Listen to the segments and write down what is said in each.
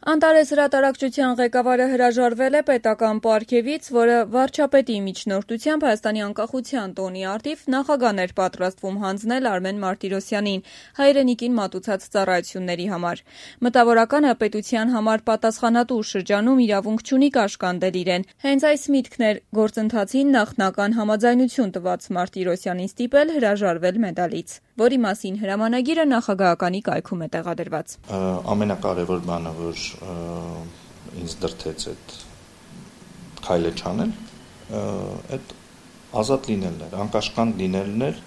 Անտարես հրատարակչության ղեկավարը հրաժարվել է պետական պարգևից, որը վարչապետի միջնորդությամբ Հայաստանի անկախության տոնի առթիվ նախագահն էր պատրաստվում հանձնել Արմեն Մարտիրոսյանին հայրենիքին մատուցած ծառայությունների համար։ Մտավորականը պետության համար պատասխանատու շրջանում իրավունք չունի կաշկանդել իրեն։ Հենց այս միտքն էր գործընթացին նախնական համաձայնություն տված Մարտիրոսյանին ստիպել հրաժարվել մեդալից, որի մասին հրամանագիրը նախագահականի կայքում է տեղադրված։ Ամենակարևոր բանը, որ ինձ դրդեց այդ քայլը չանել, այդ ազատ լինելն էր, անկաշկանդ լինելն էր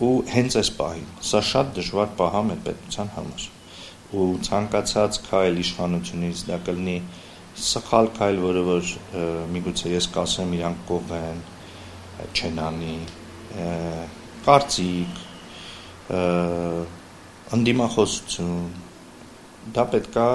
ու հենց այս պահին, սա շատ դժվար պահ է մեր պետության համար ու ցանկացած քայլ իշխանությունից դա կլինի սխալ քայլ, որը որ միգուցե ես կասեմ իրանք կողեն, չեն անի, կարծիք, ընդդիմախոսություն, դա պետք է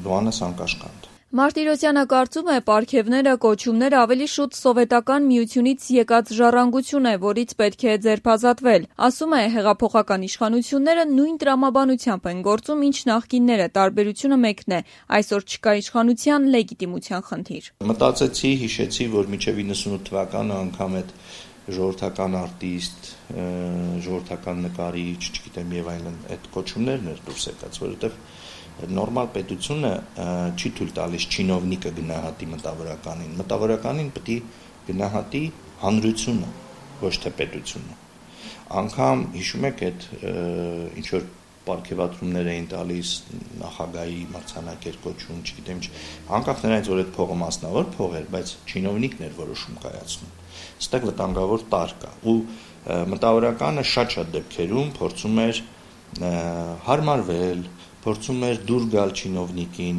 դու անես անկաշկանդ։ Մարտիրոսյանը կարծում է, պարգևները, կոչումները ավելի շուտ սովետական միությունից եկած ժառանգություն է, որից պետք է ձերբազատվել։ Ասում է, հեղափոխական իշխանությունները նույն տրամաբանությամբ են գործում, ինչ նախկինները, տարբերությունը մեկն է, այսօր չկա իշխանության լեգիտիմության խնդիր։ Մտածեցի, հիշեցի, որ մինչև 98 թվականը անգամ այդ ժողովրդական արտիստ, ժողովրդական նկարիչ, չգիտեմ եւ այլն, այդ կոչումներն էր դուրս եկած, որովհետեւ նորմալ պետությունը չի թույլ տալիս չինովնիկը գնահատի մտավորականին։ Մտավորականին պետք է գնահատի հանրությունը, ոչ թե պետությունը։ Անգամ հիշում եք այդ ինչ որ պարգևատրումներ էին տալիս նախագահի մրցանակեր կոչում, չգիտեմ ինչ, անկախ նրանից, որ այդ փողը մասնավոր փող էր, բայց չինովնիկն էր որոշում կայացնում։ Այստեղ վտանգավոր տար կա ու մտավորականը շատ դեպքերում փորձում էր հարմարվել, փորձում էր դուր գալ չինովնիկին,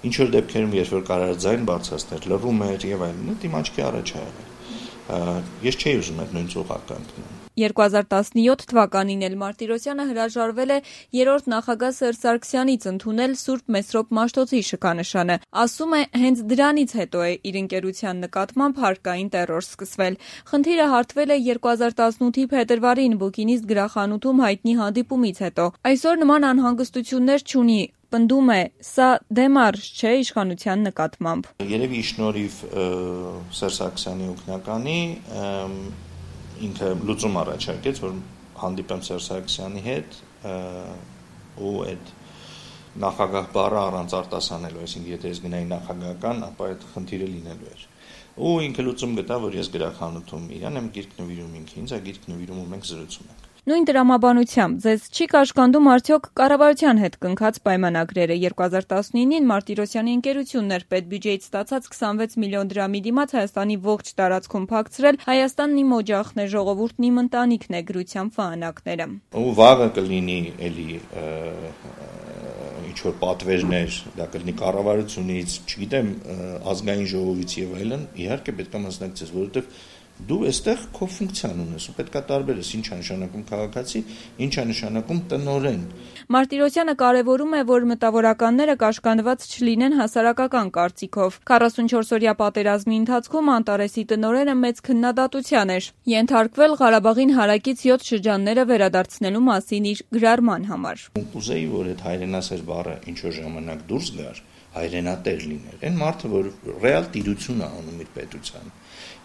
ինչ որ դեպքերում, երբ որ կարար ձայն բարձրացնել, լռում էր եւ այլն, իմ աչքի առաջ է եղել։ Ես չէի ուզում այդ նույն ծուղակը ընկնել։ 2017 թվականին էլ Մարտիրոսյանը հրաժարվել է երրորդ նախագահ Սերժ Սարգսյանից ընդունել Սուրբ Մեսրոպ Մաշտոցի շքանշանը։ Ասում է, հենց դրանից հետո է իր ընկերության նկատմամբ հարկային տեռոր սկսվել։ Խնդիրը հարթվել է 2018-ի փետրվարին Բուկինիստ գրախանութում հայտնի հանդիպումից հետո։ Այսօր նման անհանգստություններ չունի։ Պնդում է, սա դեմարշ չէ իշխանության նկատմամբ։ Երևի շնորհիվ Սերժ Սարգսյանի օգնականի ինքը լուծում առաջարկեց, որ հանդիպեմ Սերժ Սարգսյանի հետ ու այդ նախագահ բառը առանց արտասանելու, այսինքն եթե ես գնայի նախագահական, ապա այդ խնդիրը լինելու էր։ Ու ինքը լուծում գտավ, որ ես գրախանութում իրան եմ գիրք նվիրում ինքը, ինձ է գիրք նվիրում ու մենք զրուցում ենք։ Նույն տրամաբանությամբ ձեզ չի կաշկանդում արդյոք կառավարության հետ կնքած պայմանագրերը։ 2019-ին Մարտիրոսյանի ընկերությունն էր պետբյուջեից ստացած 26 միլիոն դրամի դիմաց Հայաստանի ողջ տարածքում փակցրել «Հայաստանն իմ օջախն է, ժողովուրդն իմ ընտանիքն է» գրությամբ վահանակները։ Ու վաղը կլինի էլի ինչ որ պատվերներ, դա կլինի կառավարությունից, չգիտեմ, ազգային ժողովից եւ այլն, իհարկե պետք է մասնակցես, որովհետեւ դու այստեղ քո ֆունկցիան ունես ու պետքա տարբերես ինչ է նշանակում քաղաքացի, ինչ է նշանակում տնօրեն։ Մարտիրոսյանը կարևորում է, որ մտավորականները կաշկանդված չլինեն հասարակական կարծիքով։ 44-օրյա պատերազմի ընթացքում Անտարեսի տնօրենը մեծ քննադատության էր ենթարկվել Ղարաբաղին հարակից 7 շրջանները վերադարձնելու մասին իր գրառման համար։ Ուզեի, որ այդ հայրենասեր բառը ինչ որ ժամանակ դուրս գար, հայրենատեր լիներ։ Այն մարդը, որ ռեալ տիրություն է անում իր պետության։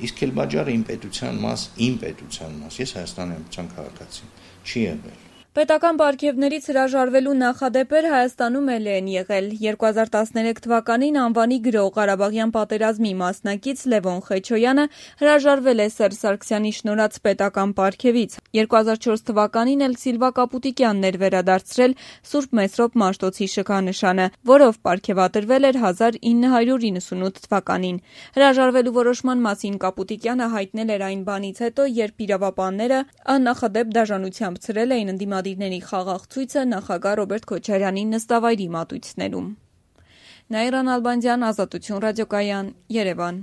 Իսկ Քելբաջարը իմ պետության մաս, ես Հայաստանի Հանրապետության քաղաքացի, չի եղել։ Պետական պարգևներից հրաժարվելու նախադեպեր Հայաստանում էլ են եղել։ 2013 թվականին անվանի գրող Ղարաբաղյան պատերազմի մասնակից Լևոն Խեչոյանը հրաժարվել է Սերժ Սարգսյանի շնորհած պետական պարգևից։ 2004 թվականին էլ Սիլվա Կապուտիկյանն էր վերադարձրել Սուրբ Մեսրոպ Մաշտոցի շքանշանը, որով պարգևատրվել էր 1998 թվականին։ Հրաժարվելու որոշման մասին Կապուտիկյանը հայտնել էր այն բանից հետո, երբ իրավապանները աննախադեպ դաժանությամբ ցրել էին ընդդիմադիրների խաղաղ ցույցը նախագահ Ռոբերտ Քոչարյանի նստավայրի մատույցներում։ Նաիրա Նալբանդյան, Ազատություն ռադիոկայան, Երևան։